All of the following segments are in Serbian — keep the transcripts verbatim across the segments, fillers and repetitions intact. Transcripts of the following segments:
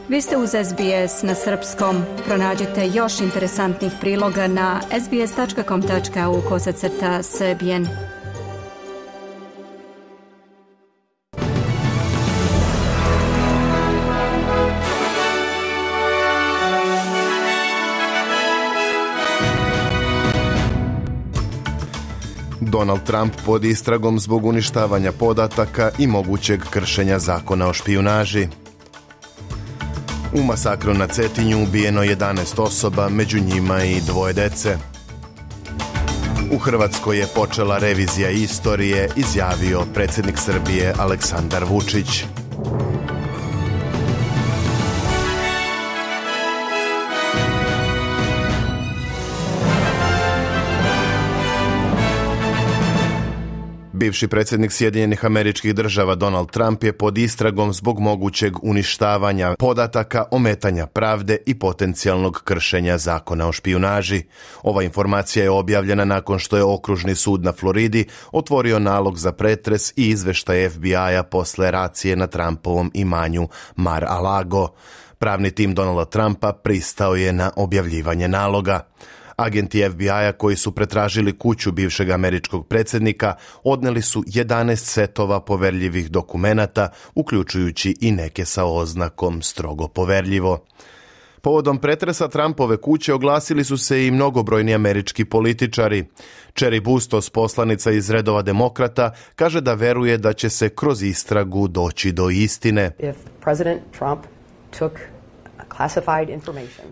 Vi ste uz S B S na srpskom. Pronađite još interesantnih priloga na sbs.com.au kosacrta srbijen. Donald Trump pod istragom zbog uništavanja podataka i mogućeg kršenja zakona o špijunaži. U masakru na Cetinju ubijeno jedanaest osoba, među njima i dvoje dece. U Hrvatskoj je počela revizija istorije, izjavio predsjednik Srbije Aleksandar Vučić. Bivši predsjednik Sjedinjenih Američkih Država Donald Trump je pod istragom zbog mogućeg uništavanja podataka, ometanja pravde i potencijalnog kršenja zakona o špijunaži. Ova informacija je objavljena nakon što je okružni sud na Floridi otvorio nalog za pretres i izveštaj F B I-a posle racije na Trumpovom imanju Mar-a-Lago. Pravni tim Donalda Trumpa pristao je na objavljivanje naloga. Agenti F B I-a koji su pretražili kuću bivšeg američkog predsjednika odneli su jedanaest setova poverljivih dokumenata, uključujući i neke sa oznakom strogo poverljivo. Povodom pretresa Trumpove kuće oglasili su se i mnogobrojni američki političari. Cheri Bustos, poslanica iz redova demokrata, kaže da veruje da će se kroz istragu doći do istine. If President Trump took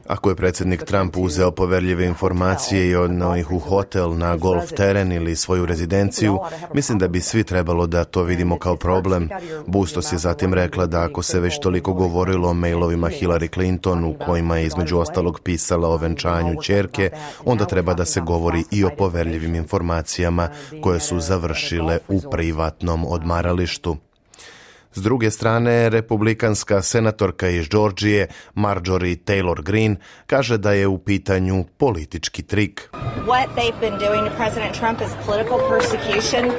Ako je predsjednik Trump uzeo poverljive informacije i odneo ih u hotel, na golf teren ili svoju rezidenciju, mislim da bi svi trebalo da to vidimo kao problem. Bustos je zatim rekla da ako se već toliko govorilo o mailovima Hillary Clinton u kojima je između ostalog pisala o venčanju ćerke, onda treba da se govori i o poverljivim informacijama koje su završile u privatnom odmaralištu. S druge strane, republikanska senatorka iz Georgije, Marjorie Taylor Greene, kaže da je u pitanju politički trik. What they've been doing to President Trump is political persecution.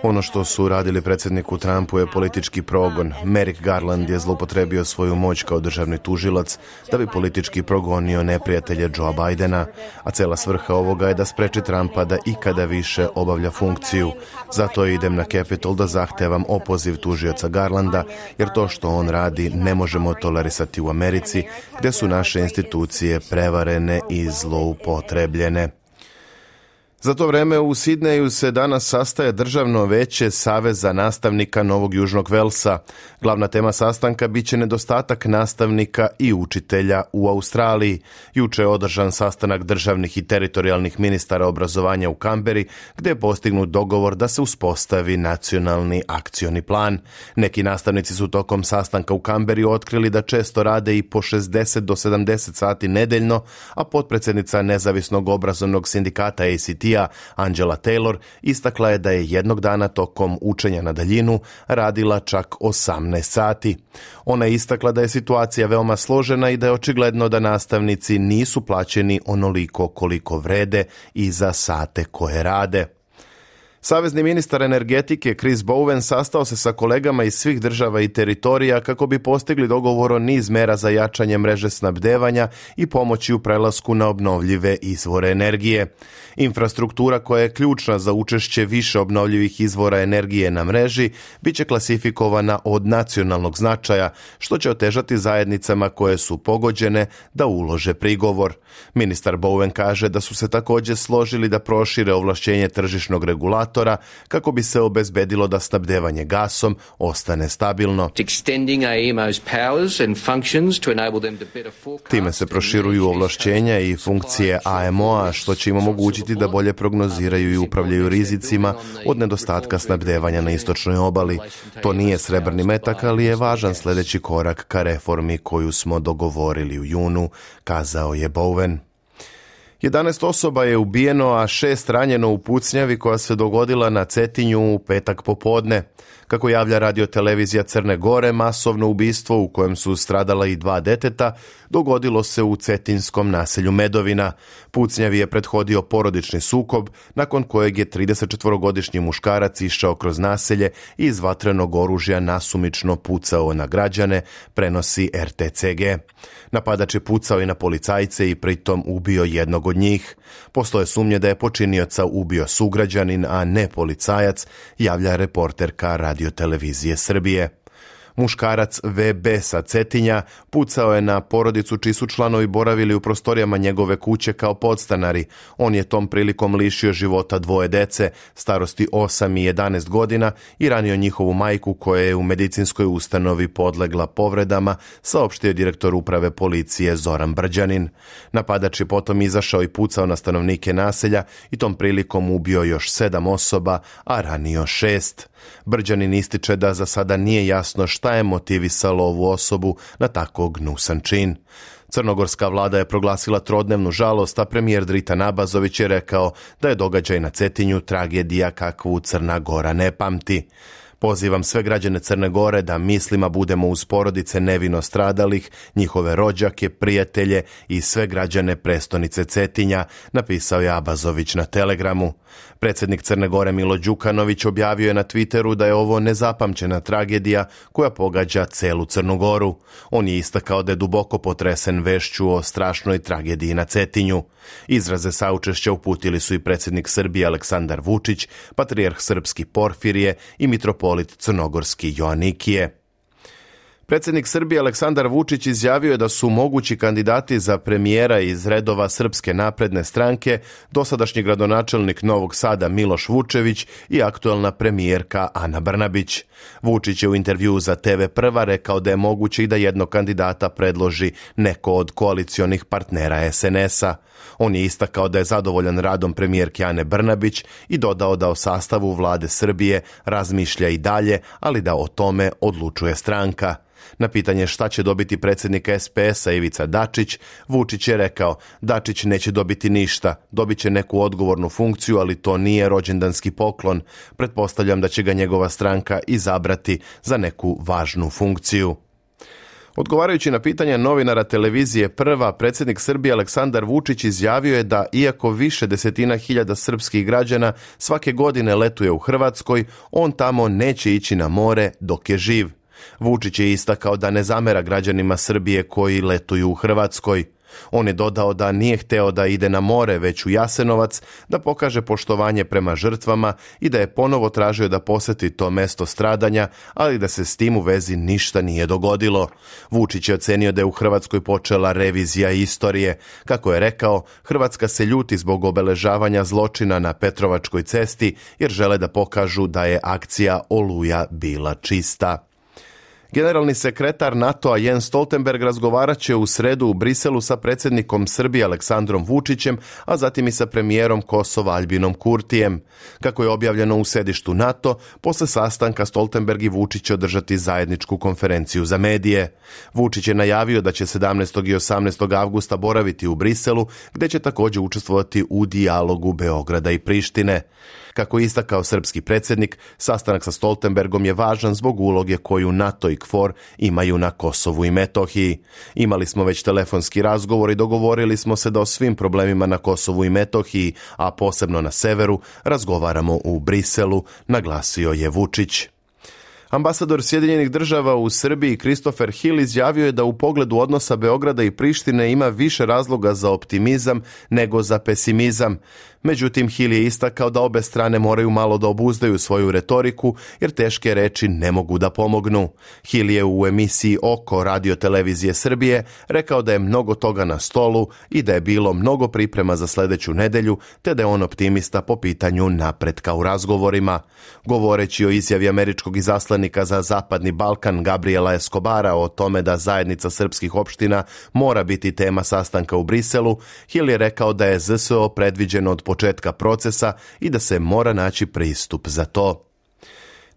Ono što su radili predsjedniku Trumpu je politički progon. Merrick Garland je zloupotrebio svoju moć kao državni tužilac da bi politički progonio neprijatelje Joea Bidena, a cela svrha ovoga je da spreči Trumpa da ikada više obavlja funkciju. Zato idem na Capitol da zahtevam opoziv tužioca Garlanda, jer to što on radi ne možemo tolerisati u Americi, gdje su naše institucije prevarene i zloupotrebljene. Za to vreme u Sidneju se danas sastaje Državno veće Saveza nastavnika Novog Južnog Velsa. Glavna tema sastanka biće nedostatak nastavnika i učitelja u Australiji. Juče je održan sastanak državnih i teritorijalnih ministara obrazovanja u Kamberi, gdje je postignut dogovor da se uspostavi nacionalni akcioni plan. Neki nastavnici su tokom sastanka u Kamberi otkrili da često rade i po šezdeset do sedamdeset sati nedeljno, a potpredsjednica nezavisnog obrazovnog sindikata A C T Angela Taylor istakla je da je jednog dana tokom učenja na daljinu radila čak osamnaest sati. Ona je istakla da je situacija veoma složena i da je očigledno da nastavnici nisu plaćeni onoliko koliko vrede i za sate koje rade. Savezni ministar energetike Chris Bowen sastao se sa kolegama iz svih država i teritorija kako bi postigli dogovor o niz mera za jačanje mreže snabdevanja i pomoći u prelasku na obnovljive izvore energije. Infrastruktura koja je ključna za učešće više obnovljivih izvora energije na mreži bit će klasifikovana od nacionalnog značaja, što će otežati zajednicama koje su pogođene da ulože prigovor. Ministar Bowen kaže da su se također složili da prošire ovlašćenje tržišnog regulatora kako bi se obezbedilo da snabdevanje gasom ostane stabilno. Time se proširuju ovlašćenja i funkcije A M O-a, što će im omogućiti da bolje prognoziraju i upravljaju rizicima od nedostatka snabdevanja na istočnoj obali. To nije srebrni metak, ali je važan sljedeći korak ka reformi koju smo dogovorili u junu, kazao je Bowen. jedanaest osoba je ubijeno, a šest ranjeno u pucnjavi koja se dogodila na Cetinju u petak popodne. Kako javlja radiotelevizija Crne Gore, masovno ubistvo u kojem su stradala i dva deteta dogodilo se u cetinskom naselju Medovina. Pucnjavi je prethodio porodični sukob, nakon kojeg je tridesetčetvorogodišnji muškarac išao kroz naselje i iz vatrenog oružja nasumično pucao na građane, prenosi er te ce ge. Napadač je pucao i na policajce i pritom ubio jednog od njih. Postoje sumnje da je počinioca ubio sugrađanin, a ne policajac, javlja reporterka radiotelevizije Srbije. Muškarac ve be sa Cetinja pucao je na porodicu čiji su članovi boravili u prostorijama njegove kuće kao podstanari. On je tom prilikom lišio života dvoje dece, starosti osam i jedanaest godina, i ranio njihovu majku koja je u medicinskoj ustanovi podlegla povredama, saopštio direktor uprave policije Zoran Brđanin. Napadač je potom izašao i pucao na stanovnike naselja i tom prilikom ubio još sedam osoba, a ranio šest. Brđanin ističe da za sada nije jasno šta je motivisalo ovu osobu na tako gnusan čin. Crnogorska vlada je proglasila trodnevnu žalost, a premijer Dritan Abazović je rekao da je događaj na Cetinju tragedija kakvu Crna Gora ne pamti. Pozivam sve građane Crne Gore da mislima budemo uz porodice nevino stradalih, njihove rođake, prijatelje i sve građane prestonice Cetinja, napisao je Abazović na Telegramu. Predsjednik Crne Gore Milo Đukanović objavio je na Twitteru da je ovo nezapamćena tragedija koja pogađa celu Crnu Goru. On je istakao da je duboko potresen vešću o strašnoj tragediji na Cetinju. Izraze saučešća uputili su i predsjednik Srbije Aleksandar Vučić, patrijarh srpski Porfirije i mitropolit crnogorski Joanikije. Predsjednik Srbije Aleksandar Vučić izjavio je da su mogući kandidati za premijera iz redova Srpske napredne stranke dosadašnji gradonačelnik Novog Sada Miloš Vučević i aktuelna premijerka Ana Brnabić. Vučić je u intervjuu za te ve Prva rekao da je moguće i da jednog kandidata predloži neko od koalicionih partnera es en es-a. On je istakao da je zadovoljan radom premijerke Ane Brnabić i dodao da o sastavu vlade Srbije razmišlja i dalje, ali da o tome odlučuje stranka. Na pitanje šta će dobiti predsjednik es pe es-a Ivica Dačić, Vučić je rekao: Dačić neće dobiti ništa, dobit će neku odgovornu funkciju, ali to nije rođendanski poklon. Pretpostavljam da će ga njegova stranka izabrati za neku važnu funkciju. Odgovarajući na pitanje novinara televizije Prva, predsjednik Srbije Aleksandar Vučić izjavio je da iako više desetina hiljada srpskih građana svake godine letuje u Hrvatskoj, on tamo neće ići na more dok je živ. Vučić je istakao da ne zamera građanima Srbije koji letuju u Hrvatskoj. On je dodao da nije hteo da ide na more, već u Jasenovac, da pokaže poštovanje prema žrtvama i da je ponovo tražio da posjeti to mesto stradanja, ali da se s tim u vezi ništa nije dogodilo. Vučić je ocenio da je u Hrvatskoj počela revizija istorije. Kako je rekao, Hrvatska se ljuti zbog obeležavanja zločina na Petrovačkoj cesti, jer žele da pokažu da je akcija Oluja bila čista. Generalni sekretar NATO-a Jens Stoltenberg razgovarat će u sredu u Briselu sa predsjednikom Srbije Aleksandrom Vučićem, a zatim i sa premijerom Kosova Aljbinom Kurtijem. Kako je objavljeno u sedištu NATO, posle sastanka Stoltenberg i Vučić će održati zajedničku konferenciju za medije. Vučić je najavio da će sedamnaestog i osamnaestog avgusta boraviti u Briselu, gdje će također učestvovati u dijalogu Beograda i Prištine. Kako je istakao srpski predsjednik, sastanak sa Stoltenbergom je važan zbog uloge koju NATO i KFOR imaju na Kosovu i Metohiji. Imali smo već telefonski razgovor i dogovorili smo se da o svim problemima na Kosovu i Metohiji, a posebno na severu, razgovaramo u Briselu, naglasio je Vučić. Ambasador Sjedinjenih država u Srbiji Christopher Hill izjavio je da u pogledu odnosa Beograda i Prištine ima više razloga za optimizam nego za pesimizam. Međutim, Hill je istakao da obe strane moraju malo da obuzdaju svoju retoriku, jer teške reči ne mogu da pomognu. Hill je u emisiji Oko radiotelevizije Srbije rekao da je mnogo toga na stolu i da je bilo mnogo priprema za sljedeću nedelju, te da je on optimista po pitanju napretka u razgovorima. Govoreći o izjavi američkog izaslanika za Zapadni Balkan Gabriela Escobara o tome da zajednica srpskih opština mora biti tema sastanka u Briselu, Hill je rekao da je zet es o predviđeno od početka procesa i da se mora naći pristup za to.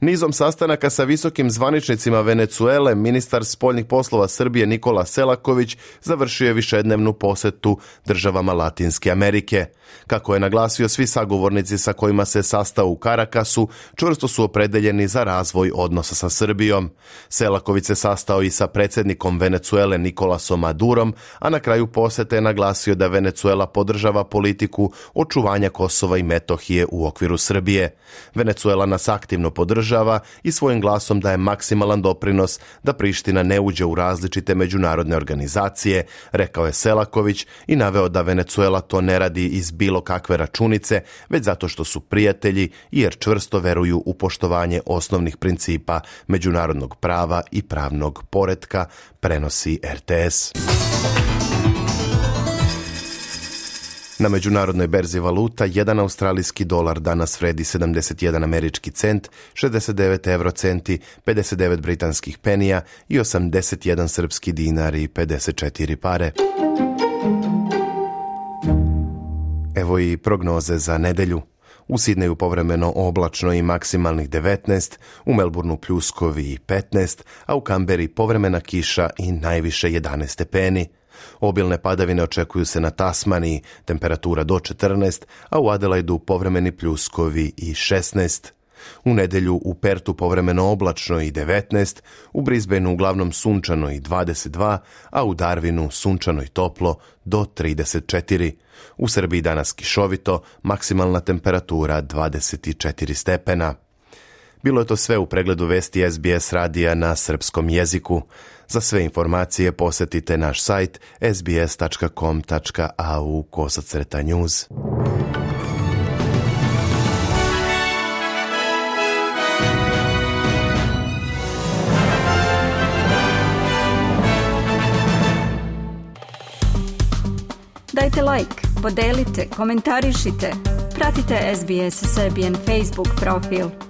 Nizom sastanaka sa visokim zvaničnicima Venecuele, ministar spoljnih poslova Srbije Nikola Selaković završio je višednevnu posetu državama Latinske Amerike. Kako je naglasio, svi sagovornici sa kojima se sastao u Karakasu čvrsto su opredeljeni za razvoj odnosa sa Srbijom. Selaković se sastao i sa predsjednikom Venecuele Nikolasom Madurom, a na kraju posete je naglasio da Venecuela podržava politiku očuvanja Kosova i Metohije u okviru Srbije. Venecuela nas aktivno podržava i svojim glasom daje maksimalan doprinos da Priština ne uđe u različite međunarodne organizacije, rekao je Selaković i naveo da Venecuela to ne radi iz bilo kakve računice, već zato što su prijatelji i jer čvrsto veruju u poštovanje osnovnih principa međunarodnog prava i pravnog poretka, prenosi R T S. Na međunarodnoj berzi valuta jedan australijski dolar danas vredi sedamdeset jedan američki cent, šezdeset devet eurocenti, pedeset devet britanskih penija i osamdeset jedan srpski dinar i pedeset četiri pare. Evo i prognoze za nedelju. U Sidneju povremeno oblačno i maksimalnih devetnaest, u Melbourneu pljuskovi i petnaest, a u Kamberi povremena kiša i najviše jedanaest stepeni. Obilne padavine očekuju se na Tasmaniji, temperatura do četrnaest, a u Adelaidu povremeni pljuskovi i šesnaest. U nedelju u Pertu povremeno oblačno i devetnaest, u Brisbaneu uglavnom sunčano i dvadeset dva, a u Darwinu sunčano i toplo do trideset četiri. U Srbiji danas kišovito, maksimalna temperatura dvadeset četiri stepena. Bilo je to sve u pregledu vesti S B S radija na srpskom jeziku. Za sve informacije posjetite naš sajt s b s tačka com tačka a u kosacrta news. Dajte like, podelite, komentarišite, pratite S B S Serbian Facebook profil.